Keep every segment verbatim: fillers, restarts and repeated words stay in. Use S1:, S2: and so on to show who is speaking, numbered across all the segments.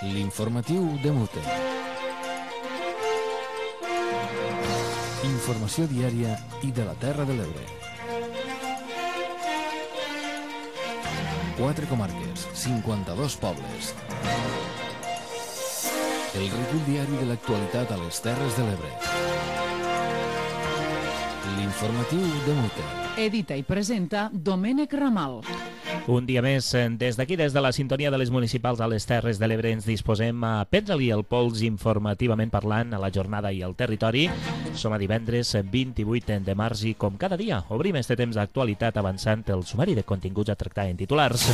S1: L'informatiu de Mute. Informació diària i de la Terra de l'Ebre. Quatre comarques, cinquanta-dos pobles. El recull diari de l'actualitat a les Terres de l'Ebre. L'informatiu de Mute.
S2: Edita i presenta Domènec Ramal.
S3: Un dia més, des d'aquí, des de la sintonia de les municipals a les Terres de l'Ebre, ens disposem a prendre-li el pols informativament parlant a la jornada i al territori. Som a divendres vint-i-vuit de març i, com cada dia, obrim este temps d'actualitat avançant el sumari de continguts a tractar en titulars.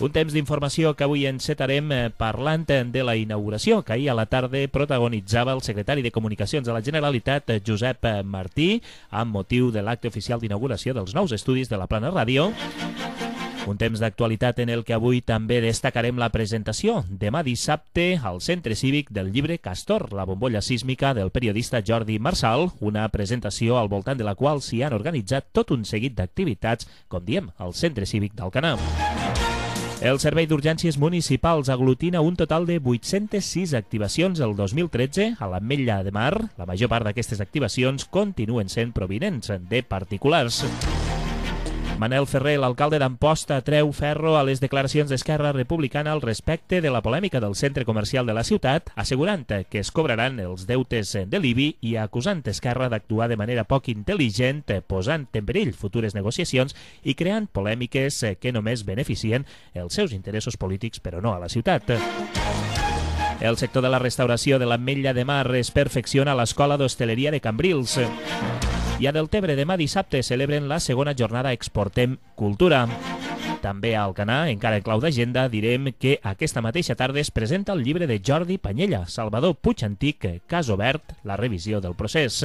S3: Un temps d'informació que avui encetarem parlant de la inauguració que ahir a la tarda protagonitzava el secretari de Comunicacions de la Generalitat, Josep Martí, amb motiu de l'acte oficial d'inauguració dels nous estudis de la Plana Ràdio. Un temps d'actualitat en el que avui també destacarem la presentació demà dissabte al Centre Cívic del llibre Castor, la bombolla sísmica del periodista Jordi Marsal, una presentació al voltant de la qual s'hi han organitzat tot un seguit d'activitats, com diem, al Centre Cívic d'Alcanar. El Servei d'Urgències Municipals aglutina un total de vuit-centes sis activacions el dos mil tretze a l'Ametlla de Mar. La major part d'aquestes activacions continuen sent provinents de particulars. Manel Ferrer, l'alcalde d'Amposta, treu ferro a les declaracions d'Esquerra Republicana al respecte de la polèmica del centre comercial de la ciutat, assegurant que es cobraran els deutes de l'I B I i acusant Esquerra d'actuar de manera poc intel·ligent, posant en perill futures negociacions i creant polèmiques que només beneficien els seus interessos polítics, però no a la ciutat. El sector de la restauració de l'Ametlla de Mar es perfecciona a l'Escola d'Hostaleria de Cambrils. I a Deltebre demà dissabte celebren la segona jornada Exportem Cultura. També a Alcanar, encara en clau d'agenda, direm que aquesta mateixa tarda es presenta el llibre de Jordi Panyella, Salvador Puig Antic, Cas obert, la revisió del procés.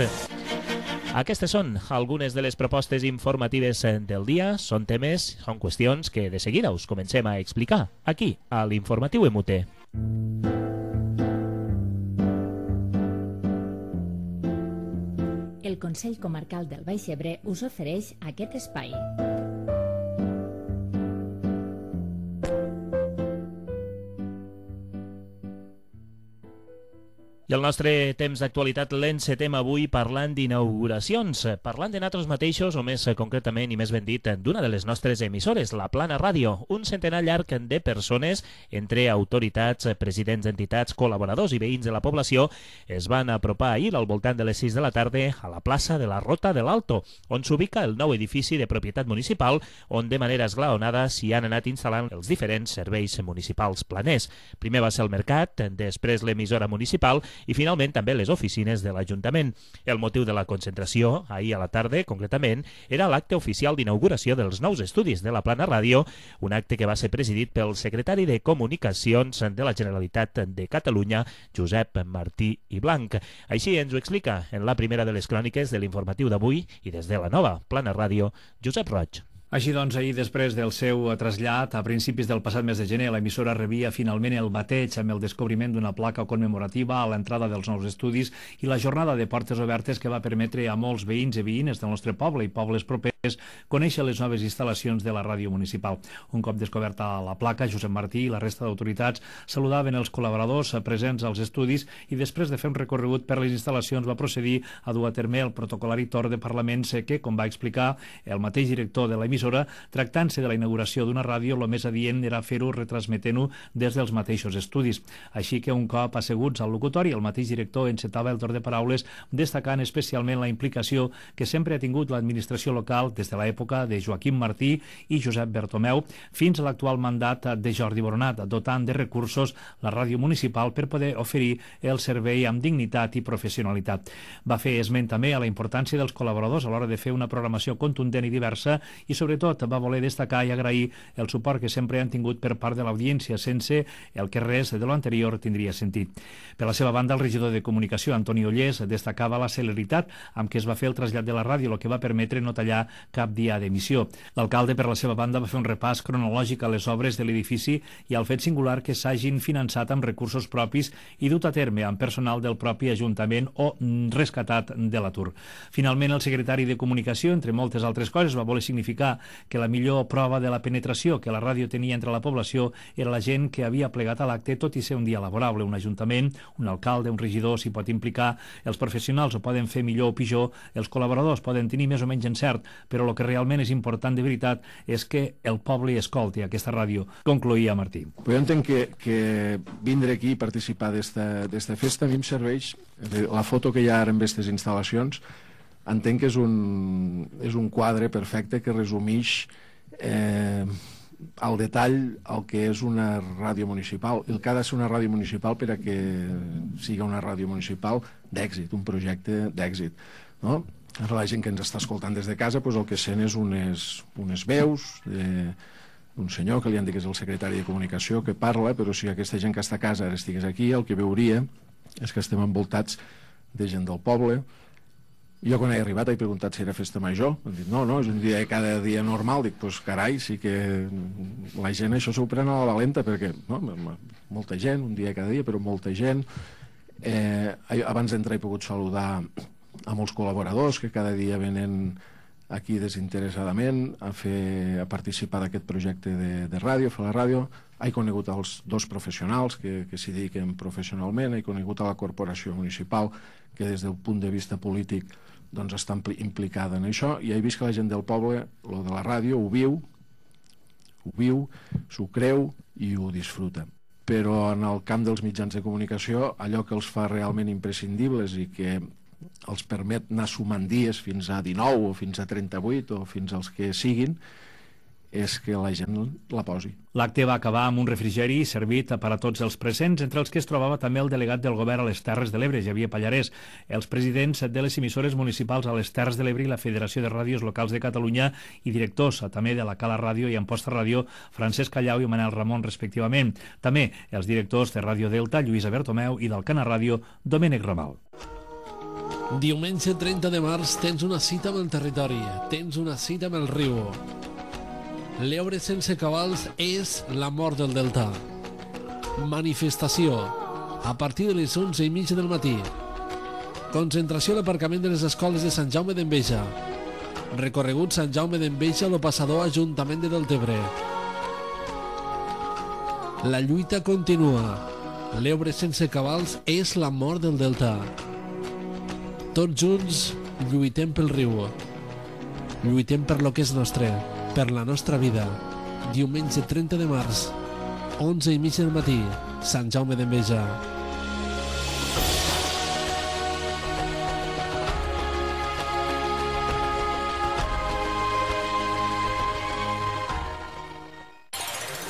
S3: Aquestes són algunes de les propostes informatives del dia. Són temes, són qüestions que de seguida us comencem a explicar aquí, a l'Informatiu M U T.
S4: El Consell Comarcal del Baix Ebre us ofereix aquest espai.
S3: I el nostre temps d'actualitat l'encetem avui parlant d'inauguracions, parlant de nosaltres mateixos, o més concretament i més ben dit, d'una de les nostres emissores, la Plana Ràdio. Un centenar llarg de persones, entre autoritats, presidents d'entitats, col·laboradors i veïns de la població, es van apropar ahir al voltant de les sis de la tarda a la plaça de la Rota de l'Alto, on s'ubica el nou edifici de propietat municipal, on de manera esglaonada s'hi han anat instal·lant els diferents serveis municipals planers. Primer va ser el mercat, després l'emissora municipal, i finalment també les oficines de l'Ajuntament. El motiu de la concentració, ahir a la tarda concretament, era l'acte oficial d'inauguració dels nous estudis de la Plana Ràdio, un acte que va ser presidit pel secretari de Comunicacions de la Generalitat de Catalunya, Josep Martí i Blanc. Així ens ho explica en la primera de les cròniques de l'informatiu d'avui i des de la nova Plana Ràdio, Josep Roig.
S5: Així doncs, ahir, després del seu trasllat, a principis del passat mes de gener, l'emissora rebia finalment el bateig amb el descobriment d'una placa commemorativa a l'entrada dels nous estudis i la jornada de portes obertes que va permetre a molts veïns i veïnes del nostre poble i pobles propers conèixer les noves instal·lacions de la ràdio municipal. Un cop descoberta la placa, Josep Martí i la resta d'autoritats saludaven els col·laboradors presents als estudis i després de fer un recorregut per les instal·lacions va procedir a dur a terme el protocolari torn de parlaments que, com va explicar el mateix director de l'emissora, tractant-se de la inauguració d'una ràdio, el més adient era fer-ho retransmetent-ho des dels mateixos estudis. Així que un cop asseguts al locutori, el mateix director encetava el torn de paraules destacant especialment la implicació que sempre ha tingut l'administració local des de l'època de Joaquim Martí i Josep Bertomeu fins a l'actual mandat de Jordi Boronat, dotant de recursos la ràdio municipal per poder oferir el servei amb dignitat i professionalitat. Va fer esment també a la importància dels col·laboradors a l'hora de fer una programació contundent i diversa i sobre Sobretot va voler destacar i agrair el suport que sempre han tingut per part de l'audiència, sense el que res de lo anterior tindria sentit. Per la seva banda, el regidor de Comunicació, Antoni Ollés, destacava la celeritat amb què es va fer el trasllat de la ràdio, el que va permetre no tallar cap dia d'emissió. L'alcalde, per la seva banda, va fer un repàs cronològic a les obres de l'edifici i al fet singular que s'hagin finançat amb recursos propis i dut a terme amb personal del propi Ajuntament o rescatat de l'atur. Finalment, el secretari de Comunicació, entre moltes altres coses, va voler significar que la millor prova de la penetració que la ràdio tenia entre la població era la gent que havia plegat a l'acte, tot i ser un dia laborable. Un ajuntament, un alcalde, un regidor s'hi pot implicar, els professionals ho poden fer millor o pitjor, els col·laboradors poden tenir més o menys encert, però el que realment és important de veritat és que el poble escolti aquesta ràdio, concloïa Martí.
S6: Jo entenc que, que vindre aquí i participar d'esta festa a mi em serveix, la foto que hi ha ara amb aquestes instal·lacions, entenc que és un, és un quadre perfecte que resumeix eh, al detall el que és una ràdio municipal, el que ha de ser una ràdio municipal per a que sigui una ràdio municipal d'èxit, un projecte d'èxit, no? La gent que ens està escoltant des de casa, doncs el que sent és unes, unes veus d'un senyor que li han dit que és el secretari de Comunicació que parla, però si aquesta gent que està a casa ara estigués aquí, el que veuria és que estem envoltats de gent del poble. Jo quan he arribat he preguntat si era festa major, han dit no, no, és un dia cada dia normal. Dic, doncs carai, sí que la gent això s'ho pren a la valenta, perquè no, molta gent, un dia cada dia, però molta gent. Eh, abans d'entrar he pogut saludar a molts col·laboradors que cada dia venen aquí desinteressadament a, fer, a participar d'aquest projecte de, de ràdio, fer la ràdio. He conegut els dos professionals que, que s'hi dediquen professionalment, he conegut a la corporació municipal que des del punt de vista polític doncs, està implicada en això, i he vist que la gent del poble, lo de la ràdio, ho viu, ho viu, s'ho creu i ho disfruta. Però en el camp dels mitjans de comunicació, allò que els fa realment imprescindibles i que els permet anar sumant dies fins a dinou o fins a trenta-vuit o fins als que siguin, és que la gent la posi.
S5: L'acte va acabar amb un refrigeri servit per a tots els presents, entre els que es trobava també el delegat del govern a les Terres de l'Ebre, Xavier Pallarès, els presidents de les emissores municipals a les Terres de l'Ebre i la Federació de Ràdios Locals de Catalunya i directors també de la Cala Ràdio i Amposta Ràdio, Francesc Callau i Manel Ramon, respectivament. També els directors de Ràdio Delta, Lluïsa Bertomeu, i del Cana Ràdio, Domènec Ramal.
S7: Diumenge trenta de març tens una cita amb el territori, tens una cita amb el riu. L'Ebre sense cabals és la mort del Delta. Manifestació a partir de les onze i mitja del matí. Concentració a l'aparcament de les escoles de Sant Jaume d'Enveja. Recorregut Sant Jaume d'Enveja a lo passador Ajuntament de Deltebre. La lluita continua. L'Ebre sense cabals és la mort del Delta. Tots junts lluitem pel riu. Lluitem per lo que és nostre, per la nostra vida. Diumenge trenta de març, onze i mitja del matí, Sant Jaume d'Enveja.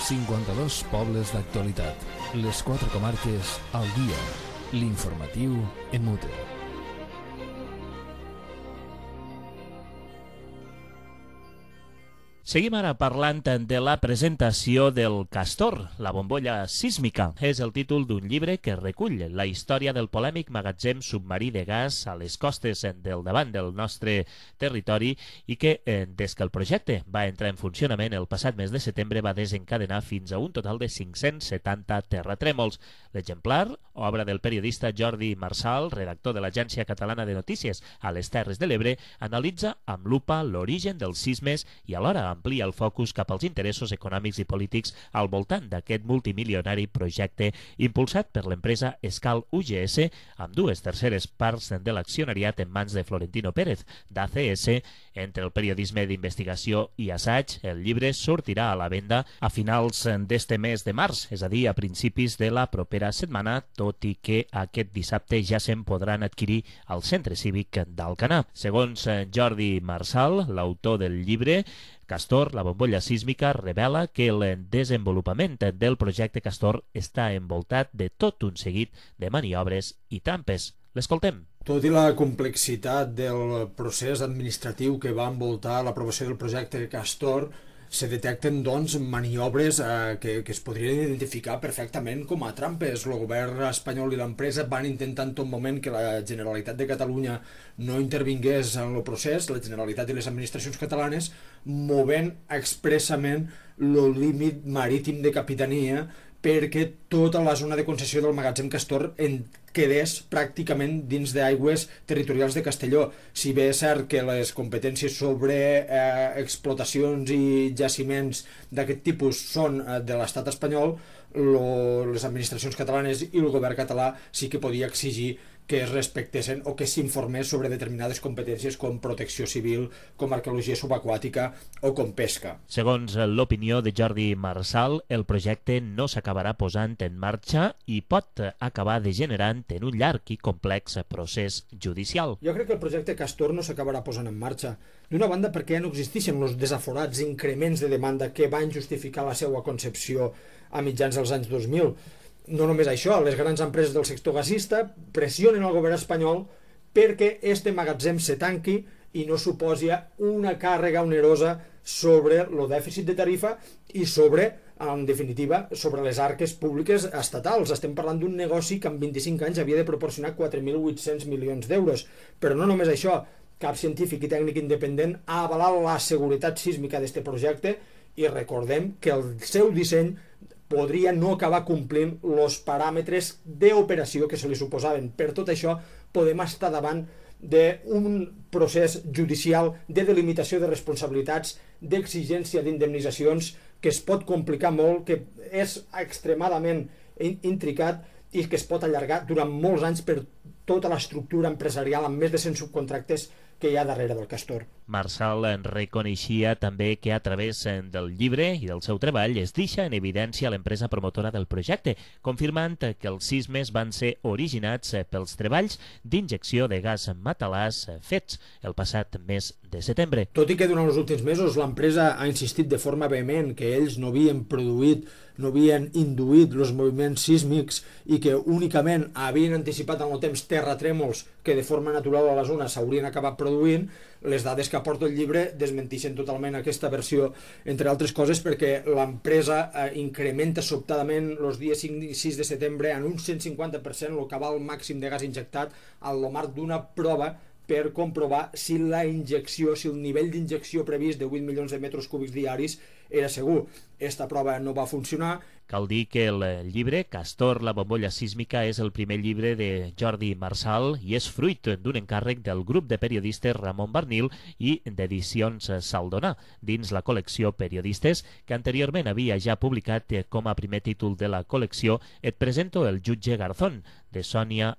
S1: cinquanta-dos pobles d'actualitat. Les quatre comarques al dia. L'informatiu en mute.
S3: Seguim ara parlant de la presentació del Castor, la bombolla sísmica. És el títol d'un llibre que recull la història del polèmic magatzem submarí de gas a les costes del davant del nostre territori i que, des que el projecte va entrar en funcionament el passat mes de setembre, va desencadenar fins a un total de cinc-cents setanta terratrèmols. L'exemplar, obra del periodista Jordi Marsal, redactor de l'Agència Catalana de Notícies a les Terres de l'Ebre, analitza amb lupa l'origen dels sismes i alhora amplia el focus cap als interessos econòmics i polítics al voltant d'aquest multimilionari projecte impulsat per l'empresa Escal U G S amb dues terceres parts de l'accionariat en mans de Florentino Pérez, d'A C S. Entre el periodisme d'investigació i assaig, el llibre sortirà a la venda a finals d'este mes de març, és a dir, a principis de la propera setmana, tot i que aquest dissabte ja se'n podran adquirir al Centre Cívic d'Alcanar. Segons Jordi Marsal, l'autor del llibre, Castor, la bombolla sísmica, revela que el desenvolupament del projecte Castor està envoltat de tot un seguit de maniobres i trampes. L'escoltem.
S8: Tot i la complexitat del procés administratiu que va envoltar l'aprovació del projecte Castor, se detecten doncs, maniobres eh, que, que es podrien identificar perfectament com a trampes. El govern espanyol i l'empresa van intentar en tot moment que la Generalitat de Catalunya no intervingués en el procés, la Generalitat i les administracions catalanes, movent expressament el límit marítim de capitania perquè tota la zona de concessió del magatzem Castor en quedés pràcticament dins d'aigües territorials de Castelló. Si bé és cert que les competències sobre eh, explotacions i jaciments d'aquest tipus són eh, de l'estat espanyol, lo, les administracions catalanes i el govern català sí que podia exigir que es respectessin o que s'informés sobre determinades competències com protecció civil, com arqueologia subaquàtica o com pesca.
S3: Segons l'opinió de Jordi Marsal, el projecte no s'acabarà posant en marxa i pot acabar degenerant en un llarg i complex procés judicial.
S8: Jo crec que el projecte Castor no s'acabarà posant en marxa. D'una banda perquè ja no existeixen els desaforats increments de demanda que van justificar la seva concepció a mitjans dels anys dos mil. No només això, les grans empreses del sector gasista pressionen el govern espanyol perquè este magatzem se tanqui i no suposi una càrrega onerosa sobre el dèficit de tarifa i sobre, en definitiva, sobre les arques públiques estatals. Estem parlant d'un negoci que en vint-i-cinc anys havia de proporcionar quatre mil vuit-cents milions d'euros. Però no només això, cap científic i tècnic independent ha avalat la seguretat sísmica d'aquest projecte i recordem que el seu disseny podria no acabar complint els paràmetres d'operació que se li suposaven. Per tot això, podem estar davant d'un procés judicial de delimitació de responsabilitats, d'exigència d'indemnitzacions, que es pot complicar molt, que és extremadament intricat i que es pot allargar durant molts anys per tota l'estructura empresarial amb més de cent subcontractes que hi ha darrere del Castor.
S3: Marsal reconeixia també que a través del llibre i del seu treball es deixa en evidència l'empresa promotora del projecte, confirmant que els sismes van ser originats pels treballs d'injecció de gas matalàs fets el passat mes de setembre.
S8: Tot i que durant els últims mesos l'empresa ha insistit de forma vehement que ells no havien produït, no havien induït els moviments sísmics i que únicament havien anticipat en el temps terratrèmols que de forma natural a la zona s'haurien acabat produint, les dades que aporta el llibre desmenteixen totalment aquesta versió, entre altres coses perquè l'empresa eh, incrementa sobtadament els dies cinc i sis de setembre en un cent cinquanta per cent el cabal màxim de gas injectat al marc d'una prova per comprovar si la injecció, si el nivell d'injecció previst de vuit milions de metres cúbics diaris era segur. Esta prova no va funcionar.
S3: Cal dir que el llibre Castor, la bombolla sísmica, és el primer llibre de Jordi Marsal i és fruit d'un encàrrec del grup de periodistes Ramon Barnil i d'Edicions Saldonà, dins la col·lecció Periodistes, que anteriorment havia ja publicat com a primer títol de la col·lecció Et presento el jutge Garzón, de Sònia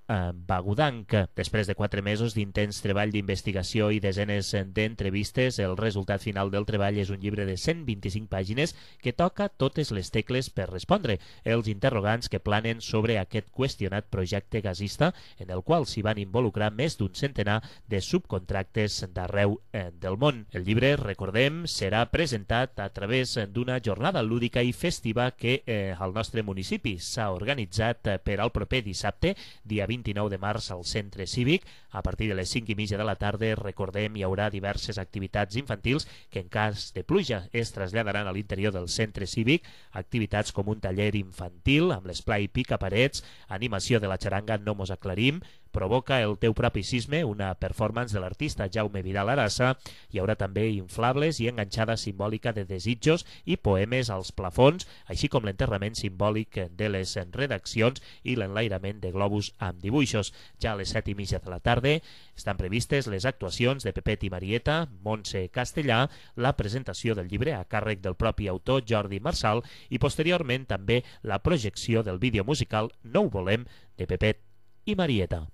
S3: Bagudanc. Després de quatre mesos d'intens treball d'investigació i desenes d'entrevistes, el resultat final del treball és un llibre de cent vint-i-cinc pàgines que toca totes les tecles per respondre els interrogants que planen sobre aquest qüestionat projecte gasista en el qual s'hi van involucrar més d'un centenar de subcontractes d'arreu del món. El llibre, recordem, serà presentat a través d'una jornada lúdica i festiva que eh, al nostre municipi s'ha organitzat per al proper dissabte, dia vint-i-nou de març, al Centre Cívic. A partir de les cinc i mitja de la tarda, recordem, hi haurà diverses activitats infantils que en cas de pluja es traslladaran a l'interior del Centre Cívic, activitats com un taller infantil amb l'esplai picaparets, animació de la xaranga No mos aclarim, Provoca el teu propi sisme, una performance de l'artista Jaume Vidal Arassa. Hi haurà també inflables i enganxada simbòlica de desitjos i poemes als plafons, així com l'enterrament simbòlic de les redaccions i l'enlairament de globus amb dibuixos. Ja a les set i mitja de la tarda estan previstes les actuacions de Pepet i Marieta, Montse Castellà, la presentació del llibre a càrrec del propi autor Jordi Marsal i posteriorment també la projecció del vídeo musical No ho volem de Pepet i Marieta.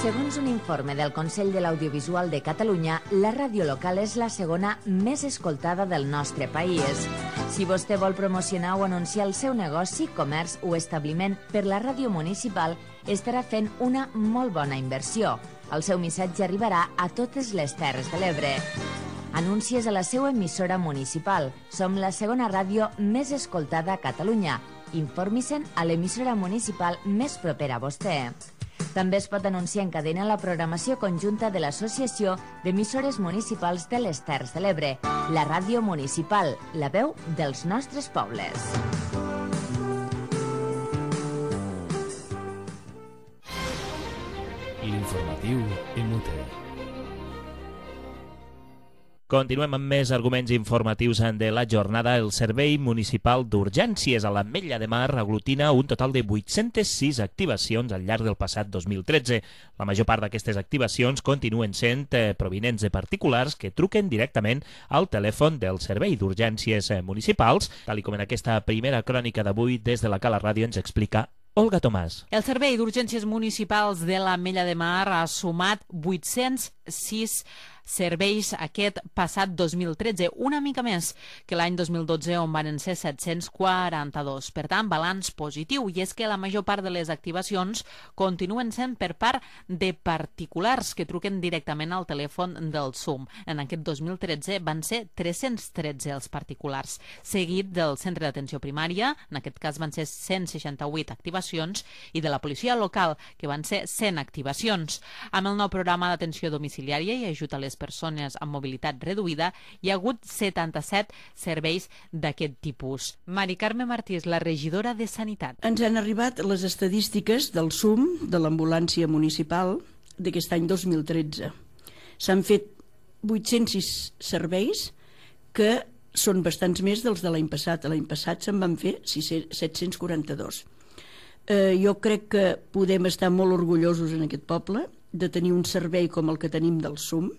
S4: Segons un informe del Consell de l'Audiovisual de Catalunya, la ràdio local és la segona més escoltada del nostre país. Si vostè vol promocionar o anunciar el seu negoci, comerç o establiment per la ràdio municipal, estarà fent una molt bona inversió. El seu missatge arribarà a totes les Terres de l'Ebre. Anuncies a la seva emissora municipal. Som la segona ràdio més escoltada a Catalunya. Informi-se'n a l'emissora municipal més propera a vostè. També es pot anunciar en cadena la programació conjunta de l'Associació d'Emissores Municipals de les Terres de l'Ebre, la ràdio municipal, la veu dels nostres pobles.
S1: L'informatiu M U T.
S3: Continuem amb més arguments informatius de la jornada. El Servei Municipal d'Urgències a l'Ametlla de Mar aglutina un total de vuit-centes sis activacions al llarg del passat dos mil tretze. La major part d'aquestes activacions continuen sent eh, provinents de particulars que truquen directament al telèfon del Servei d'Urgències Municipals, tal com en aquesta primera crònica d'avui des de la Cala Ràdio ens explica Olga Tomàs.
S9: El Servei d'Urgències Municipals de l'Ametlla de Mar ha sumat vuit-cents sis serveis aquest passat dos mil tretze, una mica més que l'any dos mil dotze, on van ser set-cents quaranta-dos. Per tant, balanç positiu, i és que la major part de les activacions continuen sent per part de particulars que truquen directament al telèfon del S U M. En aquest dos mil tretze van ser tres-cents tretze els particulars, seguit del centre d'atenció primària, en aquest cas van ser cent seixanta-vuit activacions, i de la policia local, que van ser cent activacions. Amb el nou programa d'atenció domiciliària i ajut a les persones amb mobilitat reduïda, hi ha hagut setanta-set serveis d'aquest tipus. Mari Carme Martí és la regidora de Sanitat.
S10: Ens han arribat les estadístiques del S U M, de l'ambulància municipal, d'aquest any dos mil tretze. S'han fet vuit-cents sis serveis, que són bastants més dels de l'any passat. L'any passat se'n van fer set-cents quaranta-dos. Eh, jo crec que podem estar molt orgullosos en aquest poble de tenir un servei com el que tenim del S U M,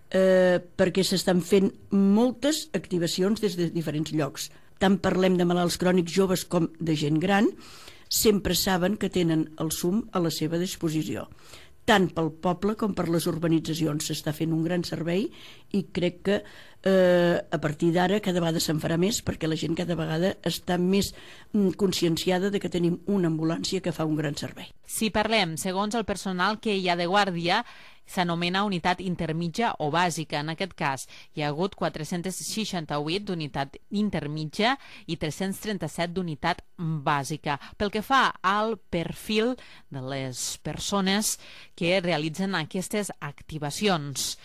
S10: eh, perquè s'estan fent moltes activacions des de diferents llocs. Tant parlem de malalts crònics joves com de gent gran, sempre saben que tenen el S U M a la seva disposició. Tant pel poble com per les urbanitzacions s'està fent un gran servei, i crec que eh, a partir d'ara cada vegada se'n farà més, perquè la gent cada vegada està més mm, conscienciada de que tenim una ambulància que fa un gran servei.
S9: Si parlem, segons el personal que hi ha de guàrdia, s'anomena unitat intermitja o bàsica. En aquest cas, hi ha hagut quatre-cents seixanta-vuit d'unitat intermitja i tres-cents trenta-set d'unitat bàsica. Pel que fa al perfil de les persones que realitzen aquestes activacions,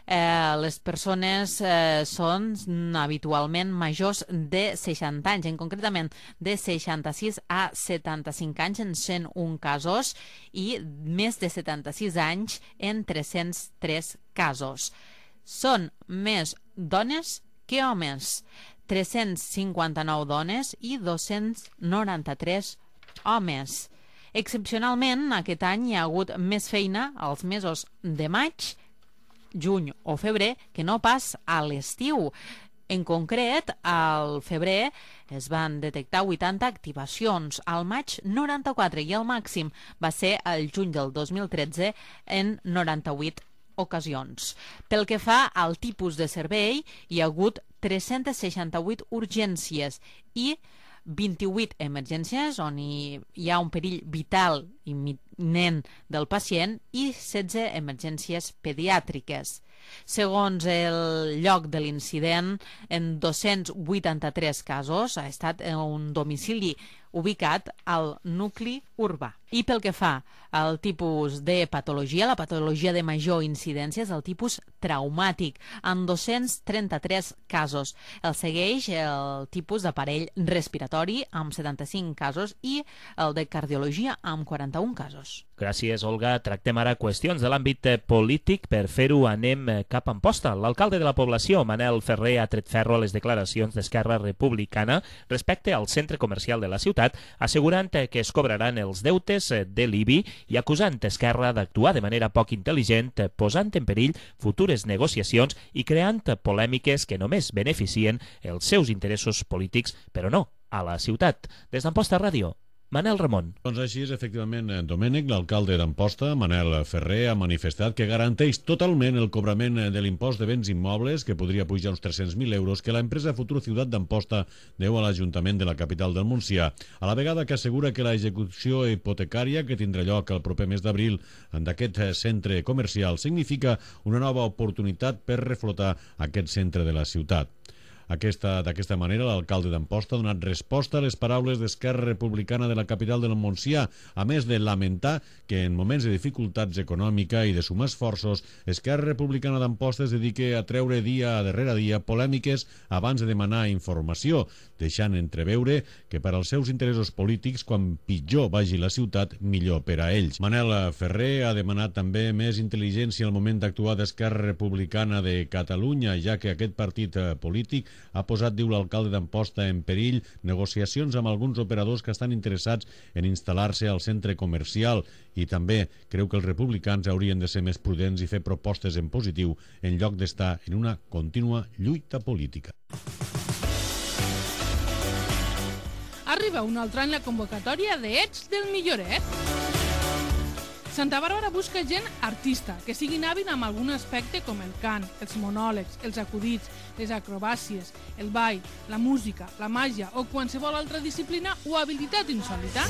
S9: eh, les persones eh, són habitualment majors de seixanta anys, en concretament de seixanta-sis a setanta-cinc anys en cent un casos, i més de setanta-sis anys en tres-cents tres casos. Són més dones que homes, tres-cents cinquanta-nou dones i dos-cents noranta-tres homes. Excepcionalment, aquest any hi ha hagut més feina als mesos de maig, juny o febrer que no pas a l'estiu. En concret, al febrer es van detectar vuitanta activacions, al maig noranta-quatre, i el màxim va ser el juny del dos mil tretze en noranta-vuit ocasions. Pel que fa al tipus de servei, hi ha hagut tres-cents seixanta-vuit urgències i vint-i-vuit emergències on hi, hi ha un perill vital imminent del pacient i setze emergències pediàtriques. Segons el lloc de l'incident, en dos-cents vuitanta-tres casos ha estat un domicili ubicat al nucli urbà. I pel que fa al tipus de patologia, la patologia de major incidència és el tipus traumàtic, en dos-cents trenta-tres casos. El segueix el tipus d'aparell respiratori, amb setanta-cinc casos, i el de cardiologia, amb quaranta-un casos.
S3: Gràcies, Olga. Tractem ara qüestions de l'àmbit polític. Per fer-ho anem cap a Amposta. L'alcalde de la població, Manel Ferrer, ha tret ferro a les declaracions d'Esquerra Republicana respecte al centre comercial de la ciutat, assegurant que es cobraran els deutes de l'I B I i acusant Esquerra d'actuar de manera poc intel·ligent, posant en perill futures negociacions i creant polèmiques que només beneficien els seus interessos polítics, però no a la ciutat. Des d'Amposta Ràdio, Manel Ramon.
S11: Doncs així és, efectivament, Domènec, l'alcalde d'Amposta, Manel Ferrer, ha manifestat que garanteix totalment el cobrament de l'impost de béns immobles, que podria pujar uns tres-cents mil euros, que l'empresa Futur Ciutat d'Amposta deu a l'Ajuntament de la capital del Montsià, a la vegada que assegura que la execució hipotecària que tindrà lloc el proper mes d'abril d'aquest centre comercial significa una nova oportunitat per reflotar aquest centre de la ciutat. D'aquesta manera, l'alcalde d'Amposta ha donat resposta a les paraules d'Esquerra Republicana de la capital del Montsià, a més de lamentar que en moments de dificultats econòmica i de sumar esforços, Esquerra Republicana d'Amposta es dedica a treure dia darrere dia polèmiques abans de demanar informació, deixant entreveure que per als seus interessos polítics, quan pitjor vagi la ciutat, millor per a ells. Manel Ferrer ha demanat també més intel·ligència al moment d'actuar d'Esquerra Republicana de Catalunya, ja que aquest partit polític ha posat, diu l'alcalde d'Amposta, en perill negociacions amb alguns operadors que estan interessats en instal·lar-se al centre comercial, i també creu que els republicans haurien de ser més prudents i fer propostes en positiu en lloc d'estar en una contínua lluita política.
S12: Arriba un altre any la convocatòria de Ets del Milloret. Santa Bàrbara busca gent artista, que siguin hàbil amb algun aspecte com el cant, els monòlegs, els acudits, les acrobàcies, el ball, la música, la màgia o qualsevol altra disciplina o habilitat insòlita.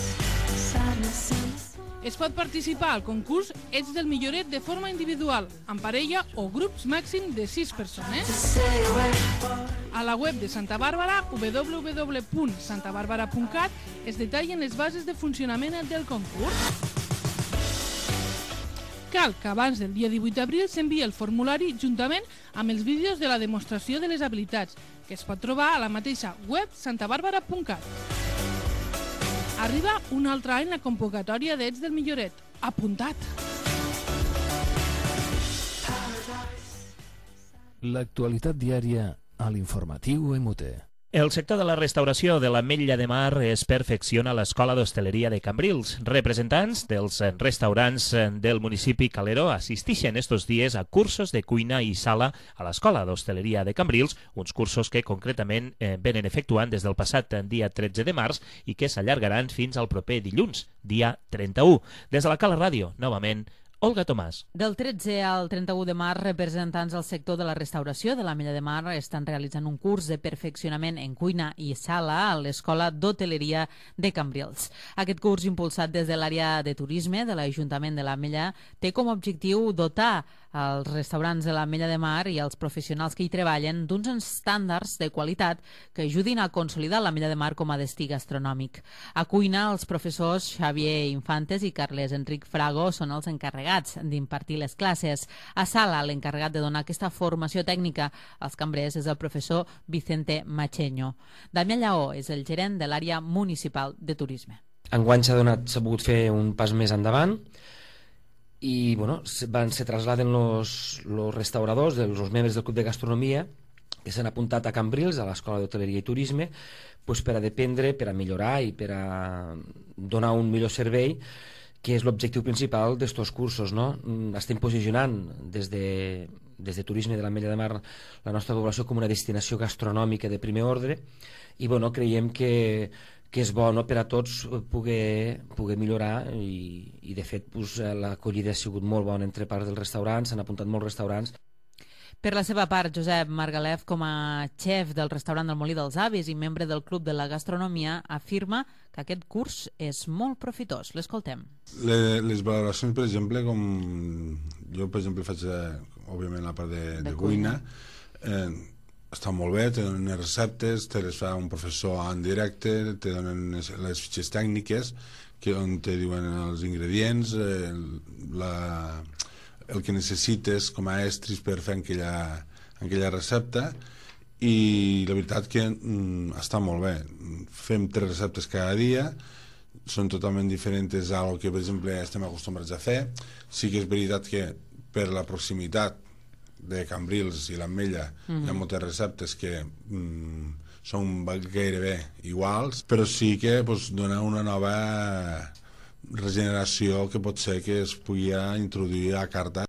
S12: Es pot participar al concurs Ets del Milloret de forma individual, en parella o grups màxim de sis persones. A la web de Santa Bàrbara, w w w punt santa bàrbara punt cat, es detallen les bases de funcionament del concurs. Cal que abans del dia divuit d'abril s'enviï el formulari juntament amb els vídeos de la demostració de les habilitats, que es pot trobar a la mateixa web santa bàrbara punt cat. Arriba un altre any la convocatòria d'Ets del Milloret. Apuntat!
S1: L'actualitat diària a l'informatiu M U T.
S3: El sector de la restauració de l'Ametlla de Mar es perfecciona a l'Escola d'Hostaleria de Cambrils. Representants dels restaurants del municipi Calero assisteixen estos dies a cursos de cuina i sala a l'Escola d'Hostaleria de Cambrils, uns cursos que concretament eh, venen efectuant des del passat dia tretze de març i que s'allargaran fins al proper dilluns, dia trenta-u. Des de la Cala Ràdio, novament, Olga Tomàs.
S9: Del tretze al trenta-u de març, representants del sector de la restauració de l'Ametlla de Mar estan realitzant un curs de perfeccionament en cuina i sala a l'Escola d'Hoteleria de Cambrils. Aquest curs, impulsat des de l'àrea de turisme de l'Ajuntament de l'Ametlla, té com a objectiu dotar als restaurants de l'Ametlla de Mar i als professionals que hi treballen d'uns estàndards de qualitat que ajudin a consolidar l'Ametlla de Mar com a destí gastronòmic. A cuina, els professors Xavier Infantes i Carles Enric Frago són els encarregats d'impartir les classes. A sala, l'encarregat de donar aquesta formació tècnica als cambrers és el professor Vicente Macheño. Damià Lleó és el gerent de l'àrea municipal de turisme.
S13: Enguany s'ha donat, s'ha pogut fer un pas més endavant i bueno, van, se trasladen los, los restauradors, els membres del Club de Gastronomia que s'han apuntat a Cambrils, a l'Escola d'Hoteleria i Turisme, pues, per a dependre, per a millorar i per a donar un millor servei, que és l'objectiu principal d'estos cursos, no? Estem posicionant des de, des de Turisme de l'Ametlla de Mar la nostra població com una destinació gastronòmica de primer ordre i bueno, creiem que, que és bo, no?, per a tots poder, poder millorar i, i de fet pues, l'acollida ha sigut molt bona entre part dels restaurants, s'han apuntat molts restaurants.
S9: Per la seva part, Josep Margalef, com a xef del restaurant del Molí dels Avis i membre del Club de la Gastronomia, afirma que aquest curs és molt profitós. L'escoltem.
S14: Les, les valoracions, per exemple, com jo, per exemple, faig, eh, òbviament, la part de, de, de cuina, eh, està molt bé, te donen les receptes, te les fa un professor en directe, te donen les, les fitxes tècniques, que on te diuen els ingredients, eh, la... el que necessites com a estris per fer aquella, aquella recepta i la veritat que mm, està molt bé. Fem tres receptes cada dia, són totalment diferents a lo que per exemple estem acostumbrats a fer. Sí que és veritat que per la proximitat de Cambrils i l'Ametlla mm-hmm. hi ha moltes receptes que mm, són gairebé iguals, però sí que pues, dona una nova regeneració que pot ser que es pugui introduir a carta.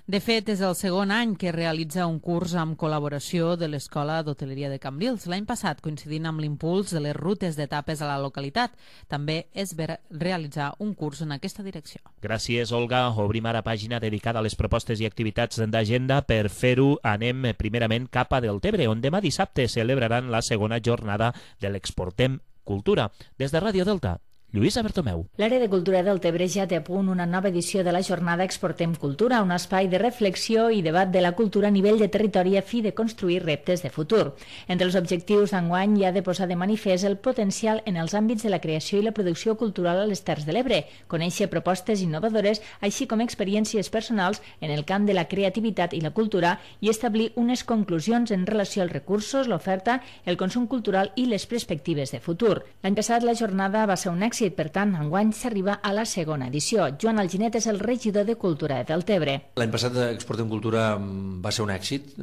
S9: De fet, és el segon any que realitza un curs amb col·laboració de l'Escola d'Hoteleria de Cambrils. L'any passat, coincidint amb l'impuls de les rutes d'etapes a la localitat, també es va realitzar un curs en aquesta direcció.
S3: Gràcies, Olga. Obrim ara pàgina dedicada a les propostes i activitats d'agenda. Per fer-ho, anem primerament cap a Deltebre, on demà dissabte celebraran la segona jornada de l'Exportem Cultura. Des de Ràdio Delta, Lluïsa Bertomeu.
S15: L'àrea de cultura del Tebre ja té a punt una nova edició de la jornada Exportem Cultura, un espai de reflexió i debat de la cultura a nivell de territori a fi de construir reptes de futur. Entre els objectius d'enguany hi ha de posar de manifest el potencial en els àmbits de la creació i la producció cultural a les Terres de l'Ebre, conèixer propostes innovadores, així com experiències personals en el camp de la creativitat i la cultura i establir unes conclusions en relació als recursos, l'oferta, el consum cultural i les perspectives de futur. L'any passat la jornada va ser un èxit. Per tant, enguany s'arriba a la segona edició. Joan Alginet és el regidor de Cultura de Deltebre.
S16: L'any passat Exportem Cultura va ser un èxit,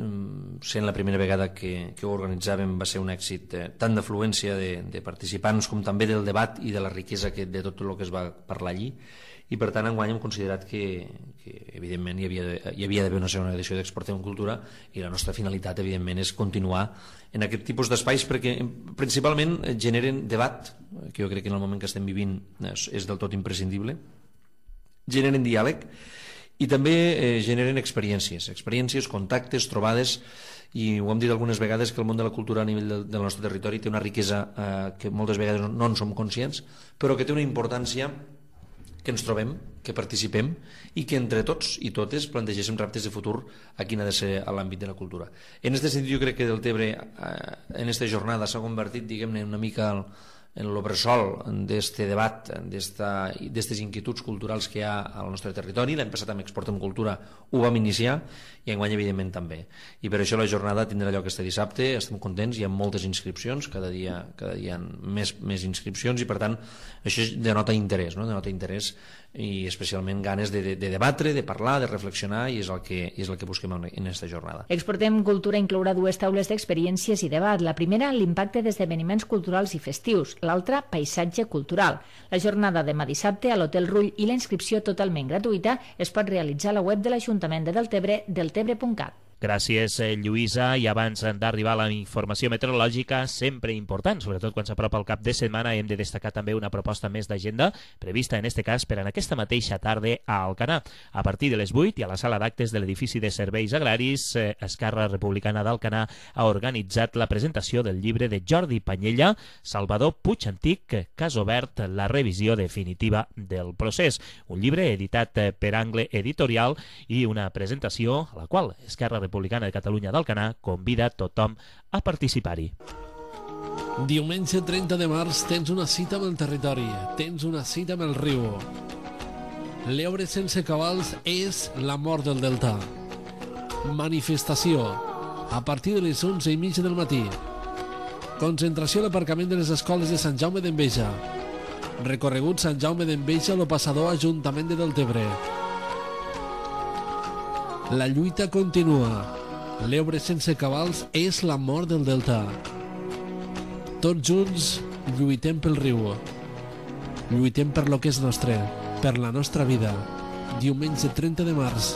S16: sent la primera vegada que, que ho organitzàvem va ser un èxit eh, tant d'afluència de, de participants com també del debat i de la riquesa que, de tot el que es va parlar allí, i per tant enguany hem considerat que, que evidentment hi havia, hi havia d'haver una segona edició d'Exportem Cultura i la nostra finalitat evidentment és continuar en aquest tipus d'espais perquè principalment generen debat, que jo crec que en el moment que estem vivint és, és del tot imprescindible, generen diàleg i també eh, generen experiències, experiències, contactes, trobades, i ho hem dit algunes vegades que el món de la cultura a nivell del, del nostre territori té una riquesa eh, que moltes vegades no, no en som conscients, però que té una importància que ens trobem, que participem i que entre tots i totes plantegéssim reptes de futur a quin ha de ser l'àmbit de la cultura. En aquest sentit jo crec que Deltebre eh, en aquesta jornada s'ha convertit, diguem-ne, una mica el, en l'obressol d'este debat, d'estes inquietuds culturals que hi ha al nostre territori. L'any passat amb Exportem Cultura ho vam iniciar i enguany evidentment també. I per això la jornada tindrà lloc este dissabte, estem contents, hi ha moltes inscripcions, cada dia, cada dia hi ha més, més inscripcions i per tant això denota interès, no? denota interès i especialment ganes de, de, de debatre, de parlar, de reflexionar i és el que, és el que busquem en aquesta jornada.
S15: Exportem Cultura inclourà dues taules d'experiències i debat. La primera, l'impacte d'esdeveniments culturals i festius. L'altra, paisatge cultural. La jornada demà dissabte a l'Hotel Rull i la inscripció totalment gratuïta es pot realitzar a la web de l'Ajuntament de Deltebre, deltebre punt cat.
S3: Gràcies, Lluïsa. I abans d'arribar a la informació meteorològica, sempre important, sobretot quan s'apropa el cap de setmana, hem de destacar també una proposta més d'agenda prevista, en este cas, per a aquesta mateixa tarda a Alcanar. A partir de les vuit i a la sala d'actes de l'edifici de serveis agraris, eh, Esquerra Republicana d'Alcanar ha organitzat la presentació del llibre de Jordi Panyella, Salvador Puig Antic, Cas obert, la revisió definitiva del procés. Un llibre editat per Angle Editorial i una presentació a la qual Esquerra Republicana de Catalunya d'Alcanar convida tothom a participar-hi.
S7: Diumenge trenta de març tens una cita amb el territori, tens una cita amb el riu. L'Ebre sense cabals és la mort del delta. Manifestació a partir de les onze i mitja del matí. Concentració a l'aparcament de les escoles de Sant Jaume d'Enveja. Recorregut Sant Jaume d'Enveja a lo passador Ajuntament de Deltebre. La lluita continua. L'Ebre sense cabals és la mort del delta. Tots junts lluitem pel riu. Lluitem per lo que és nostre, per la nostra vida. Diumenge trenta de març,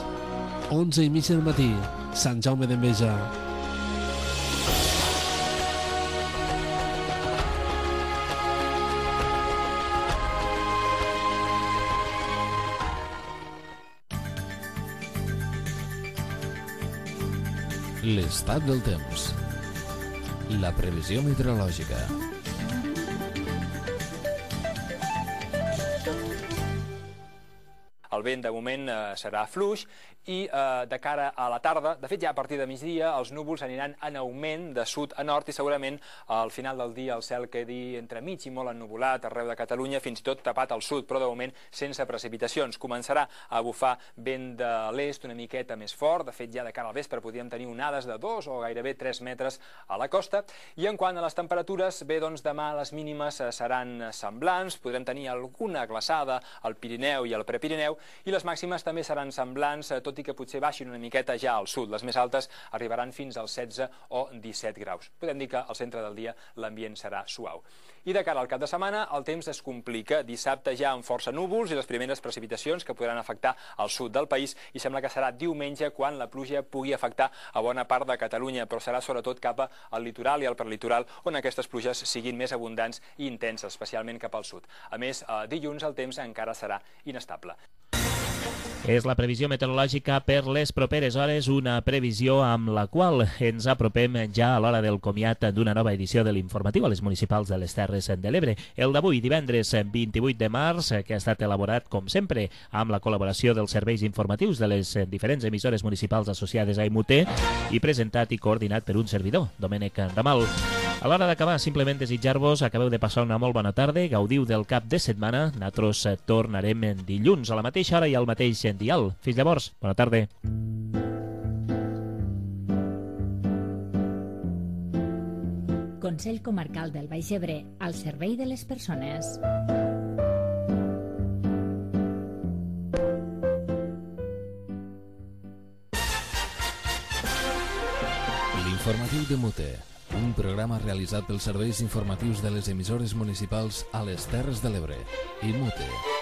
S7: onze i mitja del matí, Sant Jaume d'Enveja.
S1: L'estat del temps. La previsió meteorològica.
S17: El vent de moment eh, serà fluix i eh, de cara a la tarda, de fet ja a partir de migdia, els núvols aniran en augment de sud a nord i segurament al final del dia el cel quedi entremig i molt ennuvolat arreu de Catalunya, fins i tot tapat al sud, però de moment sense precipitacions. Començarà a bufar vent de l'est una miqueta més fort, de fet ja de cara al vespre podríem tenir onades de dos o gairebé tres metres a la costa. I en quant a les temperatures, bé, doncs demà les mínimes seran semblants, podrem tenir alguna glaçada al Pirineu i al Prepirineu, i les màximes també seran semblants, tot i que potser baixin una miqueta ja al sud. Les més altes arribaran fins als setze o disset graus. Podem dir que al centre del dia l'ambient serà suau. I de cara al cap de setmana el temps es complica. Dissabte ja amb força núvols i les primeres precipitacions que podran afectar al sud del país, i sembla que serà diumenge quan la pluja pugui afectar a bona part de Catalunya, però serà sobretot cap al litoral i al prelitoral on aquestes pluges siguin més abundants i intenses, especialment cap al sud. A més, dilluns el temps encara serà inestable.
S3: És la previsió meteorològica per les properes hores, una previsió amb la qual ens apropem ja a l'hora del comiat d'una nova edició de l'informatiu a les municipals de les Terres de l'Ebre. El d'avui, divendres vint-i-vuit de març, que ha estat elaborat, com sempre, amb la col·laboració dels serveis informatius de les diferents emissores municipals associades a I M U T i presentat i coordinat per un servidor, Domènec Ramal. A l'hora d'acabar, simplement desitjar-vos, acabeu de passar una molt bona tarda, gaudiu del cap de setmana, nosaltres tornarem dilluns a la mateixa hora i al mateix dial. Fins llavors, bona tarda.
S15: Consell Comarcal del Baix Ebre, al servei de les persones.
S1: L'informatiu de Mute, un programa realitzat pels serveis informatius de les emissores municipals a les Terres de l'Ebre. I Mute.